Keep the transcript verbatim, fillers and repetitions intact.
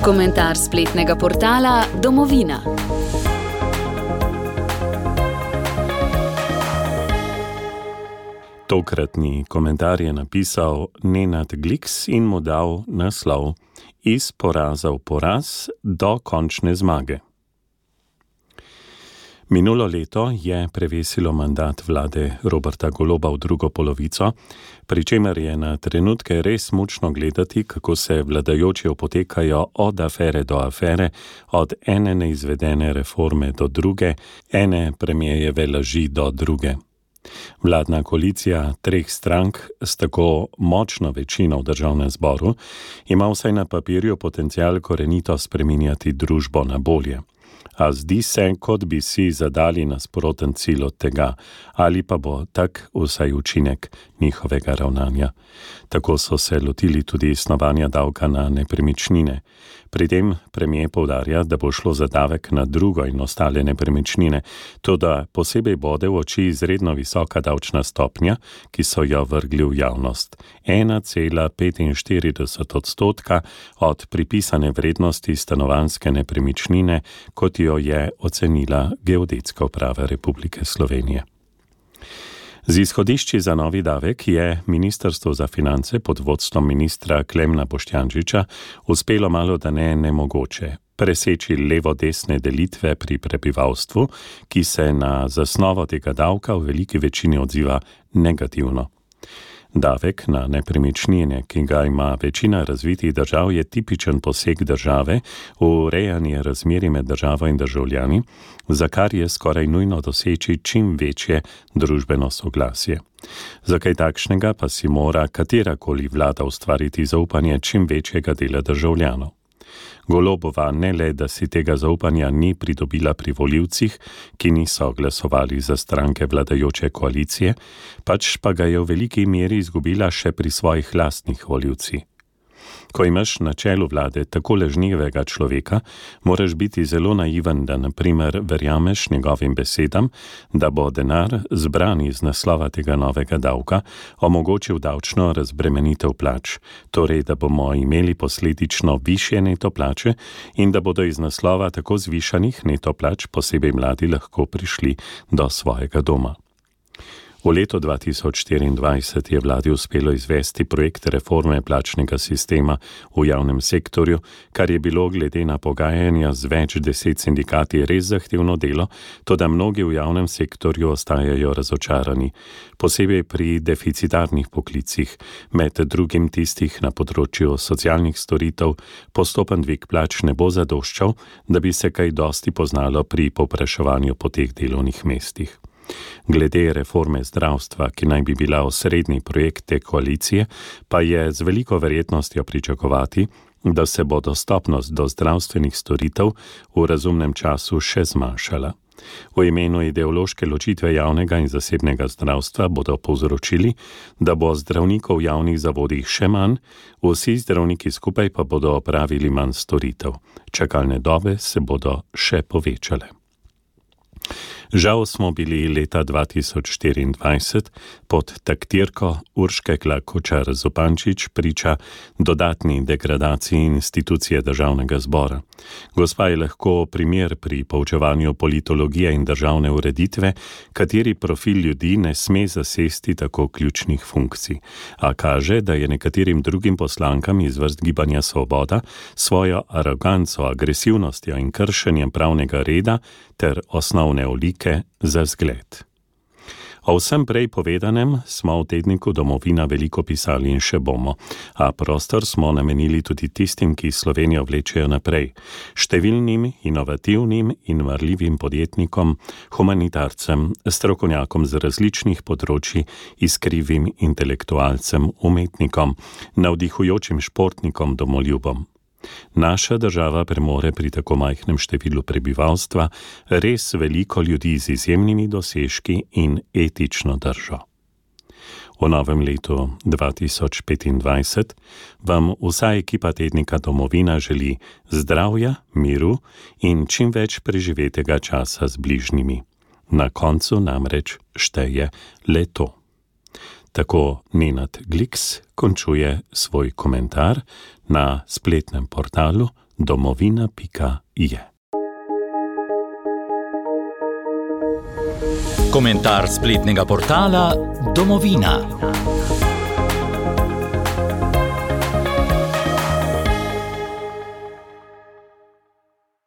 Komentar spletnega portala Domovina. Tokratni komentar je napisal Nenad Gliks in mu dal naslov Iz poraza v poraz do končne zmage. Minulo leto je prevesilo mandat vlade Roberta Goloba v drugo polovico, pri čemer je na trenutke res mučno gledati, kako se vladajoči opotekajo od afere do afere, od ene neizvedene reforme do druge, ene premierjeve laži do druge. Vladna koalicija treh strank s tako močno večino v državnem zboru ima vsaj na papirju potencial korenito spreminjati družbo na bolje. A zdi se, kot bi si zadali nasproten cilj od tega, ali pa bo tak vsaj učinek njihovega ravnanja. Tako so se lotili tudi snovanja davka na nepremičnine. Pri tem premier poudarja, da bo šlo za davek na drugo in ostale nepremičnine, toda posebej bode v oči izredno visoka davčna stopnja, ki so jo vrgli v javnost. ena cela petinštirideset odstotka od pripisane vrednosti stanovanjske nepremičnine, kot jo je ocenila Geodetska uprava Republike Slovenije. Z izhodišči za novi davek je Ministrstvo za finance pod vodstvom ministra Klemna Boštjančiča uspelo malo da ne nemogoče preseči levo-desne delitve pri prebivalstvu, ki se na zasnovo tega davka v veliki večini odziva negativno. Davek na nepremičnine, ki ga ima večina razvitih držav, je tipičen poseg države v urejanje razmerij med državo in državljani, za kar je skoraj nujno doseči čim večje družbeno soglasje. Za kaj takšnega pa si mora katerakoli vlada ustvariti zaupanje čim večjega dela državljanov. Golobova ne le, da si tega zaupanja ni pridobila pri volivcih, ki niso glasovali za stranke vladajoče koalicije, pač pa ga je v veliki meri izgubila še pri svojih lastnih volivcih. Ko imaš na čelu vlade tako lažnivega človeka, moraš biti zelo naiven, da na primer verjameš njegovim besedam, da bo denar zbran iz naslova tega novega davka omogočil davčno razbremenitev plač, torej da bomo imeli posledično višje neto plače in da bodo iz naslova tako zvišanih neto plač posebej mladi lahko prišli do svojega doma. V letu dva tisoč štiriindvajset je vladi uspelo izvesti projekt reforme plačnega sistema v javnem sektorju, kar je bilo glede na pogajanja z več deset sindikati res zahtevno delo, toda mnogi v javnem sektorju ostajajo razočarani, posebej pri deficitarnih poklicih, med drugim tistih na področju socialnih storitev. Postopen dvig plač ne bo zadoščal, da bi se kaj dosti poznalo pri povpraševanju po teh delovnih mestih. Glede reforme zdravstva, ki naj bi bila osrednji projekt te koalicije, pa je z veliko verjetnostjo pričakovati, da se bo dostopnost do zdravstvenih storitev v razumnem času še zmanjšala. V imenu ideološke ločitve javnega in zasebnega zdravstva bodo povzročili, da bo zdravnikov v javnih zavodih še manj, vsi zdravniki skupaj pa bodo opravili manj storitev. Čakalne dobe se bodo še povečale. Žal smo bili leta dva tisoč štiriindvajset pod taktirko Urške Klakočar Zupančič priča dodatni degradaciji institucije državnega zbora. Gospa je lahko primer pri poučevanju politologije in državne ureditve, kateri profil ljudi ne sme zasesti tako ključnih funkcij, a kaže, da je nekaterim drugim poslankam iz vrst Gibanja Svoboda svojo aroganco, agresivnostjo in kršenjem pravnega reda ter osnovne olike za zgled. O vsem prej povedanem smo v tedniku Domovina veliko pisali in še bomo, a prostor smo namenili tudi tistim, ki Slovenijo vlečejo naprej, številnim, inovativnim in marljivim podjetnikom, humanitarcem, strokovnjakom z različnih področji, iskrivim intelektualcem, umetnikom, navdihujočim športnikom, domoljubom. Naša država premore pri tako majhnem številu prebivalstva res veliko ljudi z izjemnimi dosežki in etično držo. V novem letu dva tisoč petindvajset vam vsa ekipa tednika Domovina želi zdravja, miru in čim več preživetega časa z bližnjimi. Na koncu namreč šteje le to. Tako Nenad Gliks končuje svoj komentar na spletnem portalu domovina pika je. Komentar spletnega portala Domovina.